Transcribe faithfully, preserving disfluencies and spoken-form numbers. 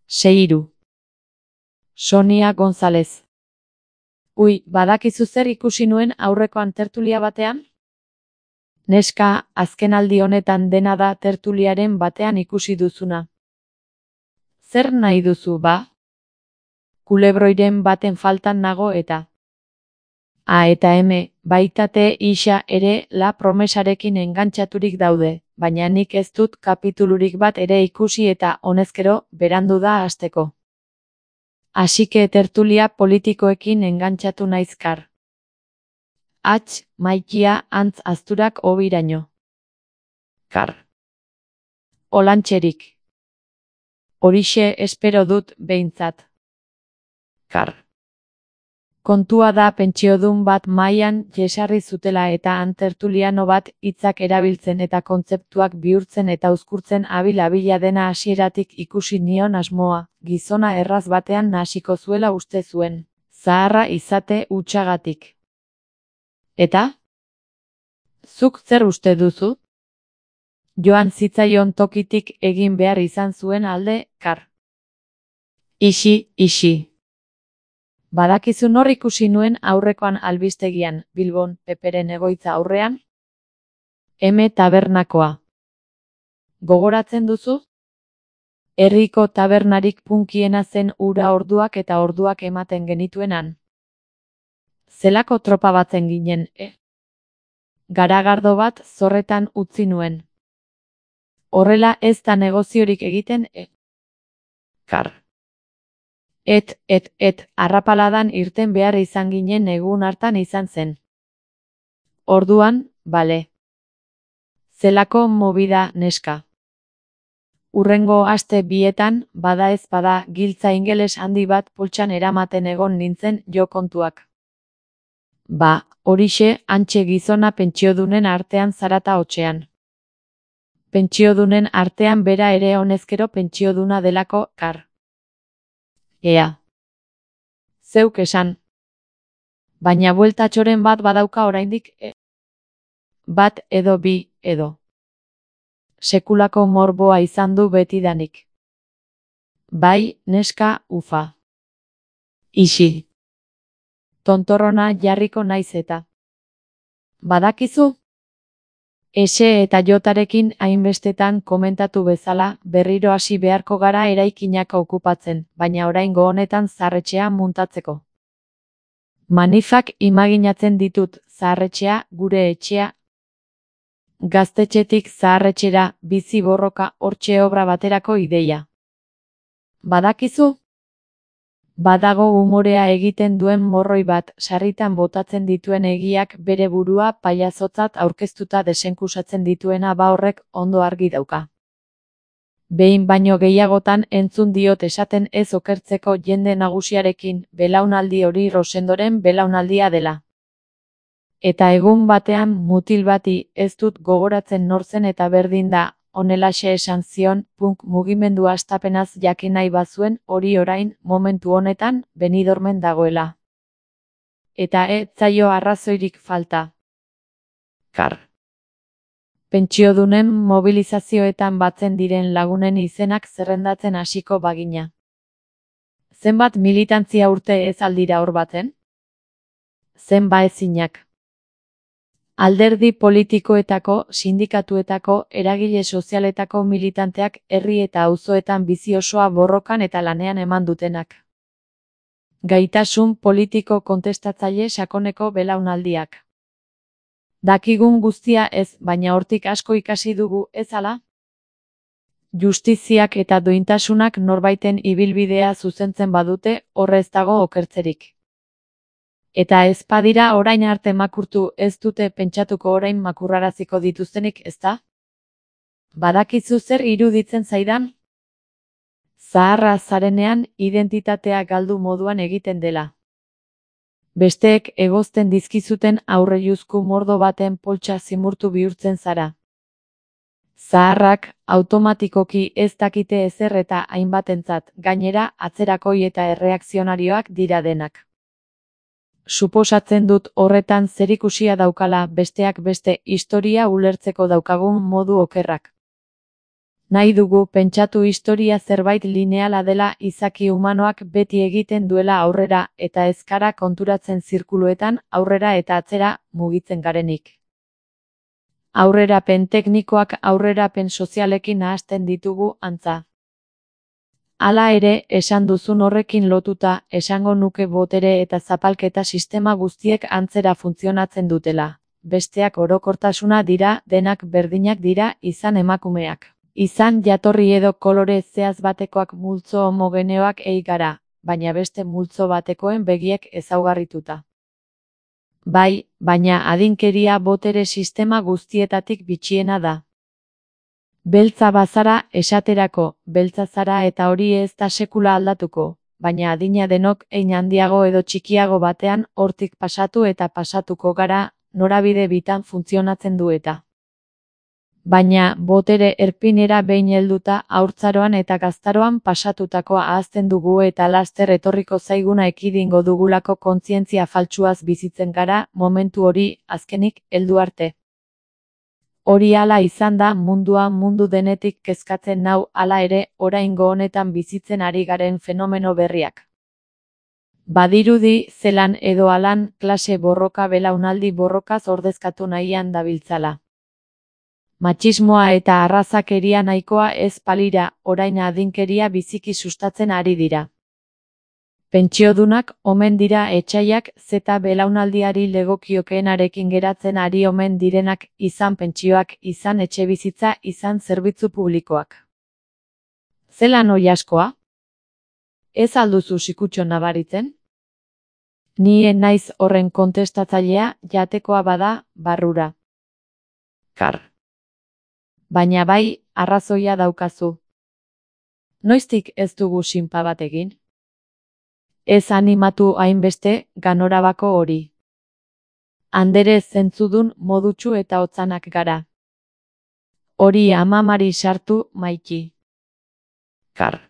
Seiru. Sonia González. Ui, badakizu zer ikusi nuen aurrekoan tertulia batean? Neska, azkenaldi honetan dena da tertuliaren batean ikusi duzuna. Zer nahi duzu, ba? Kulebroiren baten faltan nago eta. A eta eme, baitate isa ere la promesarekin engantxaturik daude, baina nik ez dut kapitulurik bat ere ikusi eta honezkero berandu da hasteko. Asike tertulia politikoekin engantxatu naizkar. Atx, maikia, antz azturak obiraino. Kar. Olantxerik. Horixe espero dut behintzat. Kar. Kontua da pentsiodun bat mailan jesarri zutela eta han tertuliano bat hitzak erabiltzen eta kontzeptuak bihurtzen eta uzkurtzen abil-abila dena hasieratik ikusi nion asmoa, gizona erraz batean nahasiko zuela uste zuen, zaharra izate hutsagatik. Eta? Zuk zer uste duzu? Joan zitzaion tokitik egin behar izan zuen alde, kar. Ixi, ixi. Badakizu nor ikusi nuen aurrekoan albistegian, Bilbon, Peperen egoitza aurrean? Eme tabernakoa. Gogoratzen duzu? Herriko tabernarik punkiena zen ura orduak eta orduak ematen genituenan. Zelako tropa batzen ginen, e? Garagardo bat zorretan utzi nuen. Horrela ez da negoziorik egiten, e? Kar. Et, et, et, arrapaladan irten behar izan ginen egun hartan izan zen. Orduan, bale. Zelako movida neska. Urrengo aste bietan, bada ez bada, giltza ingeles handi bat poltsan eramaten egon nintzen jo kontuak. Ba, horixe, hantxe gizona pentsiodunen artean zarata hotxean. Pentsiodunen artean bera ere honezkero pentsioduna delako, kar. Ea. Zeuk esan. Baina bueltatxoren bat badauka oraindik, e? Bat edo bi, edo. Sekulako morboa izan du betidanik. Bai, neska, ufa. Ixi. Tontorrona jarriko naiz eta. Badakizu? Ese eta jotarekin hainbestetan komentatu bezala, berriro hasi beharko gara eraikinak okupatzen, baina oraingo honetan zaharretxea muntatzeko. Manifak imaginatzen ditut, zaharretxea, gure etxea. Gaztetxetik zaharretxera, bizi borroka, hortxe obra baterako ideia. Badakizu? Badago umorea egiten duen morroi bat, sarritan botatzen dituen egiak bere burua pailazotzat aurkeztuta desenkusatzen dituena ba horrek ondo argi dauka. Behin baino gehiagotan entzun diot esaten ez okertzeko jende nagusiarekin, belaunaldi hori Rosendoren belaunaldia dela. Eta egun batean mutil bati ez dut gogoratzen nortzen eta berdin da, honelaxe esan zion, punk mugimendu hastapenaz jakin nahi bazuen hori orain, momentu honetan, Benidormen dagoela. Eta ez zaio arrazoirik falta. Kar. Pentsiodunen mobilizazioetan batzen diren lagunen izenak zerrendatzen hasiko bagina. Zenbat militantzia urte ez aldira hor batzen? Zenba ezinak. Alderdi politikoetako, sindikatuetako, eragile sozialetako militanteak herri eta auzoetan bizi osoa borrokan eta lanean eman dutenak. Gaitasun politiko kontestatzaile sakoneko belaunaldiak. Dakigun guztia ez, baina hortik asko ikasi dugu, ez ala? Justiziak eta duintasunak norbaiten ibilbidea zuzentzen badute, horrez dago okertzerik. Eta ez badira orain arte makurtu ez dute pentsatuko orain makurraraziko dituztenik, ezta? Badakizu zer iruditzen zaidan? Zaharra zarenean identitatea galdu moduan egiten dela. Besteek egozten dizkizuten aurreiuzku mordo baten poltsa zimurtu bihurtzen zara. Zaharrak automatikoki ez dakite ezer eta hainbatentzat, gainera atzerakoi eta erreakzionarioak dira denak. Suposatzen dut horretan zerikusia daukala besteak beste historia ulertzeko daukagun modu okerrak. Nahi dugu pentsatu historia zerbait lineala dela izaki humanoak beti egiten duela aurrera eta ez gara konturatzen zirkuluetan aurrera eta atzera mugitzen garenik. Aurrerapen teknikoak aurrerapen sozialekin nahasten ditugu antza. Hala ere, esan duzun horrekin lotuta, esango nuke botere eta zapalketa sistema guztiek antzera funtzionatzen dutela. Besteak orokortasuna dira, denak berdinak dira, izan emakumeak. Izan jatorri edo kolore zehaz batekoak multzo homogeneoak ei gara, baina beste multzo batekoen begiek ezaugarrituta. Bai, baina adinkeria botere sistema guztietatik bitxiena da. Beltza bazara, esaterako, beltza zara eta hori ez da sekula aldatuko, baina adina denok hein handiago edo txikiago batean hortik pasatu eta pasatuko gara, norabide bitan funtzionatzen du eta. Baina, botere erpinera behin helduta haurtzaroan eta gaztaroan pasatutakoa ahazten dugu eta laster etorriko zaiguna ekidingo dugulako kontzientzia faltsuaz bizitzen gara, momentu hori, azkenik, heldu arte. Hori hala izan da mundua mundu denetik kezkatzen nau hala ere oraingo honetan bizitzen ari garen fenomeno berriak. Badirudi zelan edo halan klase borroka belaunaldi borrokaz ordezkatu nahian dabiltzala. Matxismoa eta arrazakeria nahikoa ez palira, orain adinkeria biziki sustatzen ari dira. Pentsiodunak omen dira etsaiak zeta belaunaldiari legokiokeenarekin geratzen ari omen direnak, izan pentsioak, izan etxebizitza, izan zerbitzu publikoak. Zelan oilaskoa? Ez alduzu sikutxo nabaritzen? Ni naiz horren kontestatzailea, jatekoa bada, barrura. Kar. Baina bai, arrazoia daukazu. Noiztik ez dugu sinpa bat egin? Ez animatu hainbeste, ganorabako hori. Andere zentzudun modutsu eta hotzanak gara. Hori amamari sartu, Maiki. Kar.